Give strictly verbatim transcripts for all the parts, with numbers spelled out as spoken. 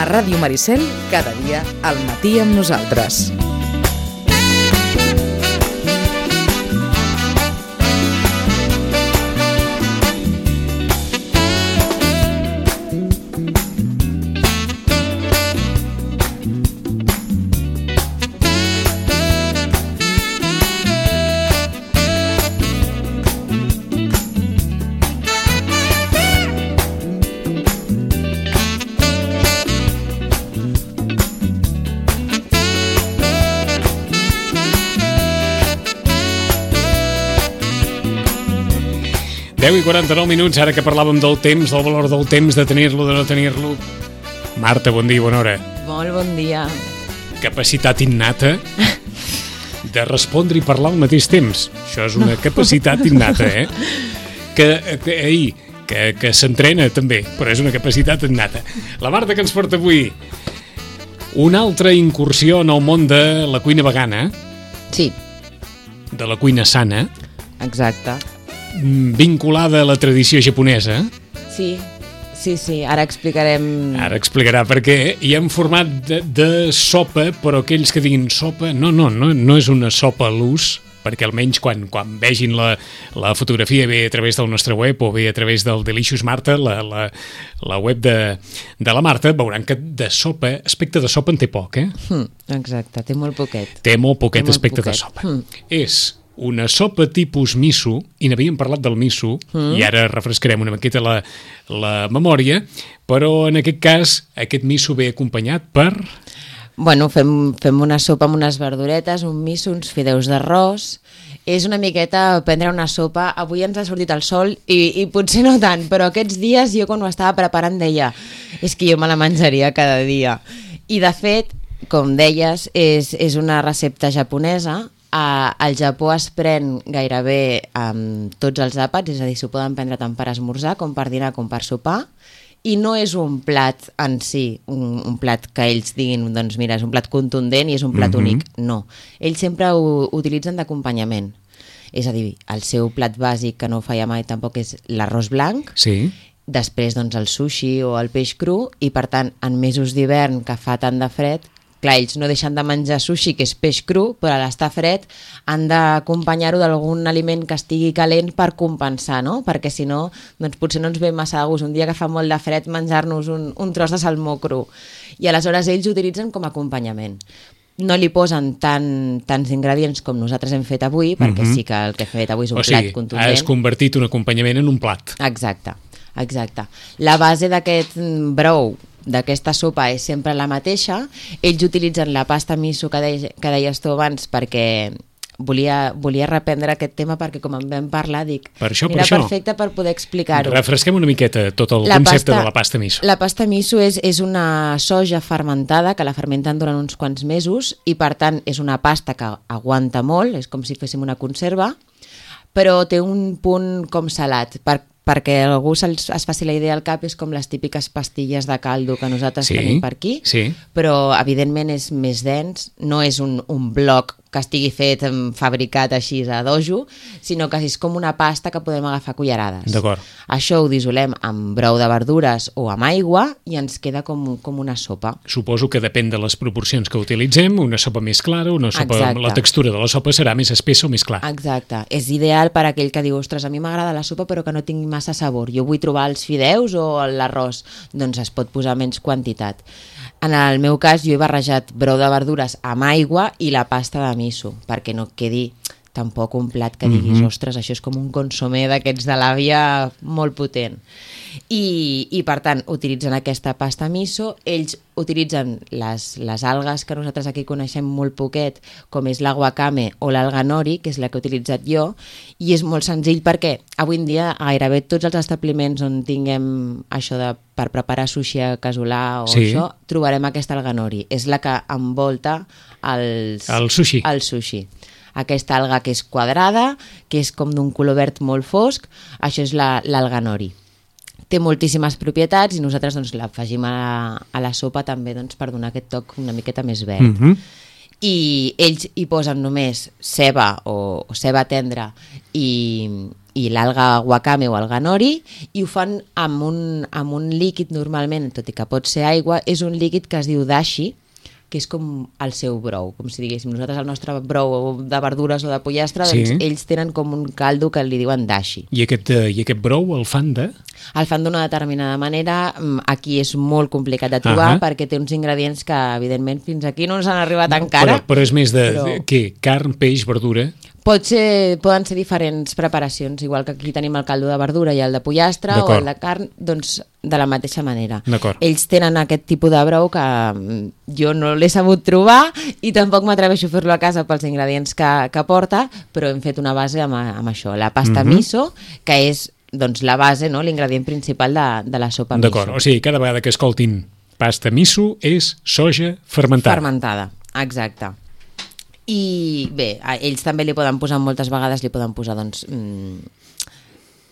A Ràdio Maricel, cada dia al matí amb nosaltres. deu i quaranta-nou minuts, ara que parlàvem del temps, del valor del temps, de tenir-lo, de no tenir-lo. Marta, bon dia, bona hora. Molt bon dia. Capacitat innata de respondre i parlar al mateix temps. Això és una capacitat innata, eh? Que, que, ei, que, que s'entrena també, però és una capacitat innata. La Marta que ens porta avui una altra incursió en el món de la cuina vegana. Sí. De la cuina sana. Exacte. Vinculada a la tradició japonesa. Sí, sí, sí, ara explicarem... Ara explicarà perquè hi ha un format de, de sopa, però aquells que diguin sopa, no, no, no, no és una sopa a l'ús, perquè almenys quan, quan vegin la, la fotografia bé a través del nostre web o bé a través del Delicious Marta, la, la, la web de, de la Marta, veuran que de sopa, aspecte de sopa en té poc, eh? Mm, exacte, té molt poquet. Té molt poquet té molt aspecte poquet. de sopa. Mm. És una sopa tipus miso, i n'havíem parlat del miso, mm. i ara refrescarem una miqueta la, la memòria, però en aquest cas aquest miso ve acompanyat per... Bueno, fem, fem una sopa amb unes verduretes, un miso, uns fideus d'arròs. És una miqueta prendre una sopa. Avui ens ha sortit el sol i, i potser no tant, però aquests dies jo quan ho estava preparant deia és que jo me la menjaria cada dia. I de fet, com deies, és, és una recepta japonesa. Uh, al Japó es pren gairebé amb tots els àpats, és a dir, s'ho poden prendre tant per esmorzar com per dinar com per sopar, i no és un plat en si, un, un plat que ells diguin, doncs mira, és un plat contundent i és un plat mm-hmm. únic. No, ells sempre ho utilitzen d'acompanyament. És a dir, el seu plat bàsic, que no falla mai tampoc, és l'arròs blanc, sí. Després doncs el sushi o el peix cru, i per tant, en mesos d'hivern que fa tant de fred, clar, ells no deixen de menjar sushi, que és peix cru, però a l'estar fred han d'acompanyar-ho d'algun aliment que estigui calent per compensar, no? Perquè si no, doncs potser no ens ve massa de gust un dia que fa molt de fred menjar-nos un, un tros de salmó cru. I aleshores ells ho utilitzen com a acompanyament. No li posen tan, tants ingredients com nosaltres hem fet avui, perquè mm-hmm. sí que el que hem fet avui és un o sigui, plat contundent. Has convertit un acompanyament en un plat. Exacte, exacte. La base d'aquest brou, d'aquesta sopa, és sempre la mateixa. Ells utilitzen la pasta miso que, de, que deies tu abans, perquè volia, volia reprendre aquest tema, perquè com en vam parlar dic, per això, era per això. perfecte per poder explicar-ho. Refresquem una miqueta tot el la concepte pasta, de la pasta miso. La pasta miso és, és una soja fermentada que la fermenten durant uns quants mesos i per tant és una pasta que aguanta molt, és com si féssim una conserva, però té un punt com salat, per perquè algú es, es faci la idea al cap, és com les típiques pastilles de caldo que nosaltres sí, tenim per aquí, sí. Però evidentment és més dens, no és un, un bloc que estigui fet, fabricat així a dojo, sinó que és com una pasta que podem agafar cullerades. D'acord. Això ho dissolem amb brou de verdures o amb aigua i ens queda com, com una sopa. Suposo que depèn de les proporcions que utilitzem, una sopa més clara, una sopa, la textura de la sopa serà més espessa o més clara. Exacte. És ideal per a aquell que diu, ostres, a mi m'agrada la sopa però que no tingui massa sabor. Jo vull trobar els fideus o l'arròs. Doncs es pot posar menys quantitat. En el meu cas, jo he barrejat brou de verdures amb aigua i la pasta de miso, perquè no quedi tampoc un plat que diguis, mm-hmm. ostres, això és com un consomé d'aquests de l'àvia molt potent. I, i per tant, utilitzen aquesta pasta miso, ells utilitzen les, les algues que nosaltres aquí coneixem molt poquet, com és la wakame o l'alga nori, que és la que he utilitzat jo, i és molt senzill perquè avui en dia gairebé tots els establiments on tinguem això de per preparar sushi a casolà o sí. Això, trobarem aquesta alga nori. És la que envolta els, el sushi. El sushi. Aquesta alga que és quadrada, que és com d'un color verd molt fosc, això és la, l'alga nori. Té moltíssimes propietats i nosaltres doncs, l'afegim a, a la sopa també doncs, per donar aquest toc una miqueta més verd. Mm-hmm. I ells hi posen només ceba o, o ceba tendra i, i l'alga wakame o alga nori, i ho fan amb un, amb un líquid normalment, tot i que pot ser aigua, és un líquid que es diu dashi, que és com el seu brou, com si diguéssim, nosaltres el nostre brou de verdures o de pollastre, sí. doncs ells tenen com un caldo que li diuen dashi. I aquest, I aquest brou el fan de? El fan d'una determinada manera, aquí és molt complicat de trobar, uh-huh. perquè té uns ingredients que, evidentment, fins aquí no ens han arribat no, encara. Però, però és més de, però... de què? Carn, peix, verdura? Pot ser, poden ser diferents preparacions, igual que aquí tenim el caldo de verdura i el de pollastre o el de carn, doncs de la mateixa manera. Ells tenen aquest tipus de brou que jo no l'he sabut trobar i tampoc m'atreveixo a fer-lo a casa pels ingredients que, que porta, però hem fet una base amb, amb això, la pasta uh-huh. miso, que és doncs, la base, no? L'ingredient principal de, de la sopa miso. D'acord, o sigui, cada vegada que escoltin pasta miso és soja fermentada. Fermentada, exacte. I bé, ells també li poden posar, moltes vegades li poden posar doncs, mmm,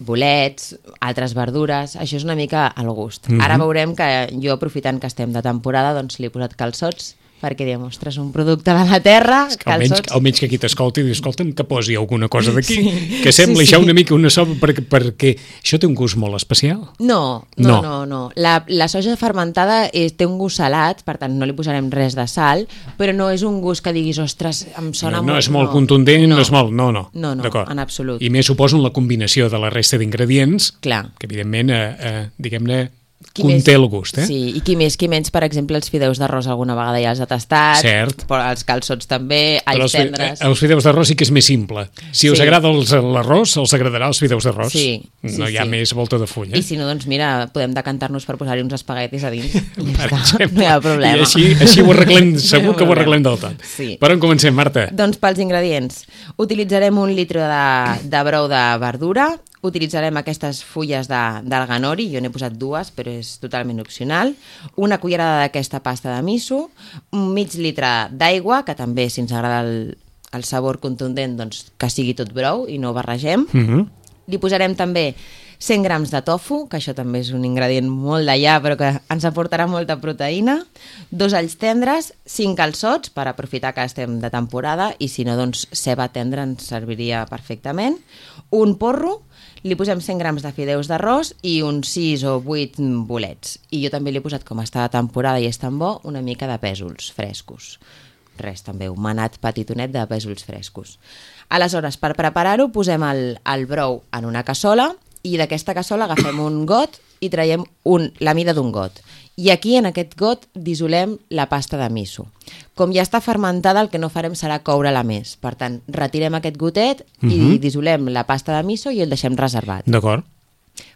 bolets, altres verdures, això és una mica al gust. Mm-hmm. Ara veurem que jo, aprofitant que estem de temporada, doncs li he posat calçots, perquè diem, ostres, un producte de la terra, calçots... Almenys, almenys que aquí t'escolti i diu, escolta'm, que posi alguna cosa d'aquí, sí, que sembla sí, això sí. una mica una sopa, perquè, perquè això té un gust molt especial. No, no, no. no, no. La, la soja fermentada és, té un gust salat, per tant no li posarem res de sal, però no és un gust que diguis, ostres, em sona no, molt... No és molt no. contundent, no. no és molt... No, no, no, no en absolut. I més suposo en la combinació de la resta d'ingredients, Clar. que evidentment, eh, eh, diguem-ne, Qui conté més, el gust, eh? Sí, i qui més, qui menys, per exemple, els fideus d'arròs alguna vegada ja els ha tastat, cert. Però els calçots també, alls els, tendres... Els fideus d'arròs sí que és més simple. Si sí. us agrada els, l'arròs, els agradarà els fideus d'arròs. Sí, sí, no hi ha sí. més volta de full, eh? I si no, doncs mira, podem decantar-nos per posar-hi uns espaguetis a dins. Per exemple. No hi ha problema. I així, així ho arreglem, segur que ho arreglem del tot. Sí. Per on comencem, Marta? Doncs pels ingredients. Utilitzarem un litre de, de brou de verdura, utilitzarem aquestes fulles d'alga nori, jo n'he posat dues, però és totalment opcional, una cullerada d'aquesta pasta de miso, un mig litre d'aigua, que també, si ens agrada el, el sabor contundent, doncs que sigui tot brou i no barregem. Uh-huh. Li posarem també cent grams de tofu, que això també és un ingredient molt d'allà, però que ens aportarà molta proteïna, dos alls tendres, cinc calçots, per aprofitar que estem de temporada, i si no, doncs ceba tendra ens serviria perfectament, un porro, li posem cent grams de fideus d'arròs i uns sis o vuit bolets. I jo també li he posat, com està de temporada i és tan bo, una mica de pèsols frescos. Res, també un manat petitonet de pèsols frescos. Aleshores, per preparar-ho, posem el, el brou en una cassola i d'aquesta cassola agafem un got i traiem un, la mida d'un got. I aquí, en aquest got, dissolem la pasta de miso. Com ja està fermentada, el que no farem serà coure-la més. Per tant, retirem aquest gotet uh-huh. i dissolem la pasta de miso i el deixem reservat. D'acord.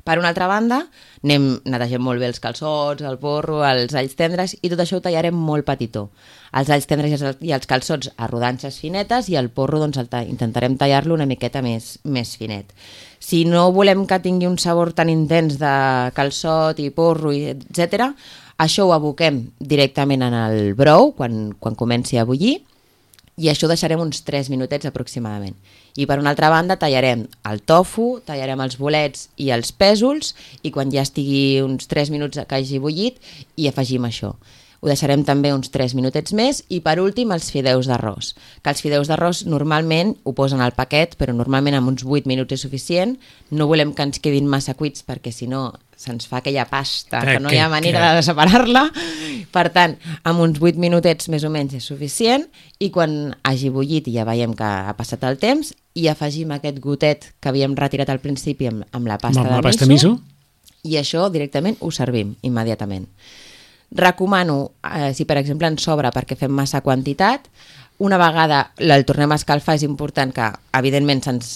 Per una altra banda, anem, netegem molt bé els calçots, el porro, els alls tendres, i tot això ho tallarem molt petitó. Els alls tendres i els, i els calçots a rodanxes finetes i el porro doncs, el ta- intentarem tallar-lo una miqueta més, més finet. Si no volem que tingui un sabor tan intens de calçot i porro, etcètera, això ho aboquem directament en el brou quan, quan comenci a bullir, i això ho deixarem uns tres minutets aproximadament. I per una altra banda tallarem el tofu, tallarem els bolets i els pèsols, i quan ja estigui uns tres minuts que hagi bullit, hi afegim això. Ho deixarem també uns tres minutets més, i per últim els fideus d'arròs. Que els fideus d'arròs normalment ho posen al paquet, però normalment amb uns vuit minuts és suficient. No volem que ens quedin massa cuits perquè si no se'ns fa aquella pasta que, que no hi ha manera que... de separar-la. Per tant, amb uns vuit minutets més o menys és suficient, i quan hagi bullit i ja veiem que ha passat el temps, i afegim aquest gotet que havíem retirat al principi amb, amb la pasta, amb de, la pasta miso, miso, i això directament ho servim immediatament. Recomano, eh, si per exemple ens sobra perquè fem massa quantitat, una vegada el tornem a escalfar, és important que, evidentment, se'ns,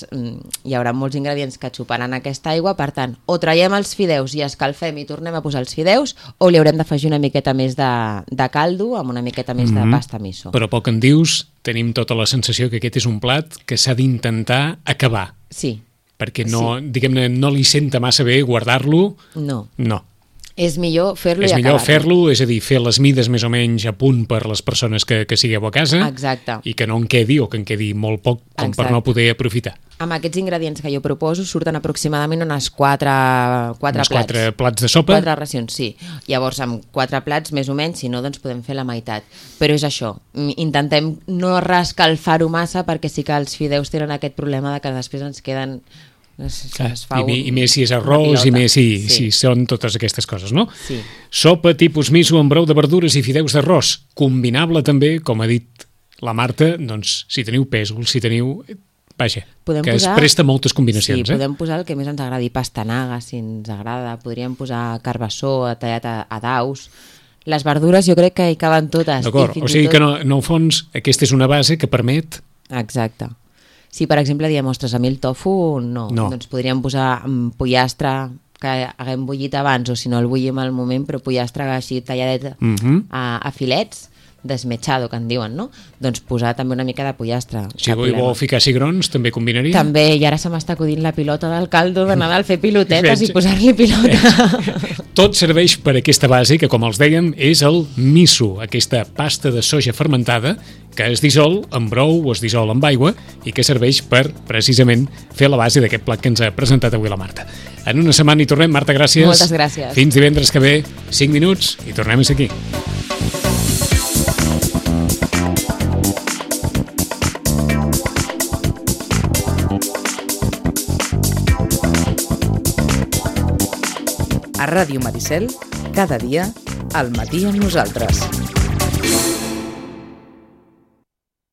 hi haurà molts ingredients que xuparan aquesta aigua, per tant, o traiem els fideus i escalfem i tornem a posar els fideus, o li haurem d'afegir una miqueta més de, de caldo amb una miqueta més mm-hmm. de pasta miso. Però pel que en dius, tenim tota la sensació que aquest és un plat que s'ha d'intentar acabar. Sí. Perquè no, sí. diguem-ne, no li senta massa bé guardar-lo. No. No. És millor fer-lo és i acabar-lo. És millor fer-lo, és a dir, fer les mides més o menys a punt per les persones que, que sigueu a casa. Exacte. I que no en quedi, o que en quedi molt poc, com Exacte. Per no poder aprofitar. Amb aquests ingredients que jo proposo surten aproximadament unes quatre, quatre unes plats. quatre plats de sopa? Quatre racions, sí. Llavors, amb quatre plats, més o menys, si no, doncs podem fer la meitat. Però és això, intentem no reescalfar-ho massa, perquè sí que els fideus tenen aquest problema de que després ens queden Es, Clar, es fa i, un, I més si és arròs, i més si, sí. si són totes aquestes coses, no? Sí. Sopa tipus miso amb brou de verdures i fideus d'arròs. Combinable també, com ha dit la Marta, doncs, si teniu pèsol, si teniu... Vaja, podem que posar... es presta moltes combinacions. Sí, eh? podem posar el que més ens agradi, pastanaga, si ens agrada, podríem posar carbassó tallat a, a daus. Les verdures jo crec que hi caben totes. D'acord, o sigui tot... que no, no, al fons aquesta és una base que permet... Exacte. Si per exemple diem, ostres, a mi el tofu no, no. doncs podríem posar pollastre que haguem bullit abans, o si no el bullim al moment, però pollastre així talladet uh -huh. a, a filets, desmetxado, que en diuen, no? Doncs posar també una mica de pollastre. Si avui vol ficar cigrons, també combinaria? També, i ara se m'està acudint la pilota del caldo de Nadal, fer pilotetes i posar-li pilota. Tot serveix per aquesta base, que com els dèiem, és el miso, aquesta pasta de soja fermentada que es dissol amb brou o es dissol amb aigua i que serveix per, precisament, fer la base d'aquest plat que ens ha presentat avui la Marta. En una setmana hi tornem. Marta, gràcies. Moltes gràcies. Fins divendres que ve, cinc minuts, i tornem a ser aquí. A Ràdio Maricel, cada dia, al matí amb nosaltres.